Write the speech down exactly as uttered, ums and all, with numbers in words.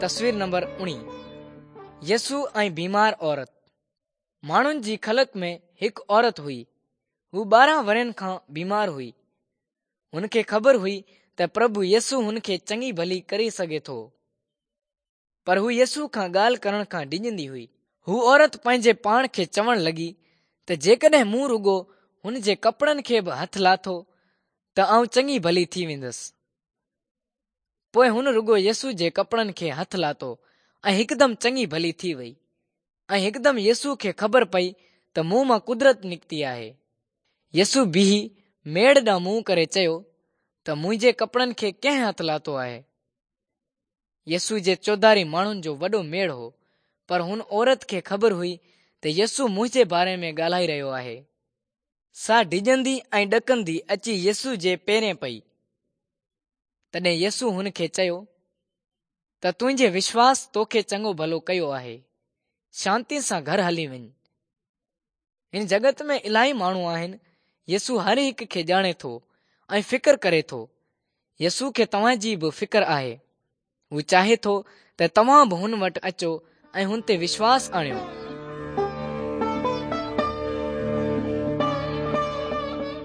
تصوير نمبر اڻويهه. يسوع ۽ بيمار عورت. ماڻهن جي خلق ۾ هڪ عورت هئي. هو ٻارهن ورهين کان بيمار هئي. هن کي خبر هئي ته پرڀو يسوع هن کي چڱي ڀلي ڪري سگهي ٿو، پر هو يسوع کان ڳالهه ڪرڻ کان ڊڄندي هئي. هو عورت پنهنجي پاڻ کي چوڻ لڳي ته جيڪڏهن مون رڳو هن جي ڪپڙن کي به هٿ لاٿو ته آئون چڱي ڀلي ٿي ويندس. پوءِ هن رڳو يسوع جي ڪپڙن کي هٿ لاٿو ۽ هڪدم چڱي ڀلي ٿي وئي. ۽ هڪدم يسوع کي خبر پئي ته مون مان قدرت نڪتي آهي. يسوع بيهي ميڙ ڏانهن منهن ڪري چيو ته منهنجي ڪپڙن کي ڪنهن هٿ لاٿو آهي؟ يسوع جي چوڌاري ماڻهن جو وڏو ميڙ هو، پر هن عورت کي خبر هئي ته يسوع منهنجي باري ۾ ڳالهائي رهيو آهي. سا ڊڄندي ۽ ڏڪندي اچي يسوع جي پيرين پئي. تڏهن يسوع هن کي چيو ته تنهنجي وشواس توکي چڱو ڀلو ڪيو آهي، شانتي سان گهر هلي وڃ. هن جڳت ۾ الاهي ماڻهو آهن. يسوع هر هڪ کي ڄاڻي ٿو ۽ فڪر ڪري ٿو. يسوع کي توهان جي به فڪر آهي. هو چاهي ٿو ته توهان به هن وٽ اچو ۽ هن تي وشواس آڻيو.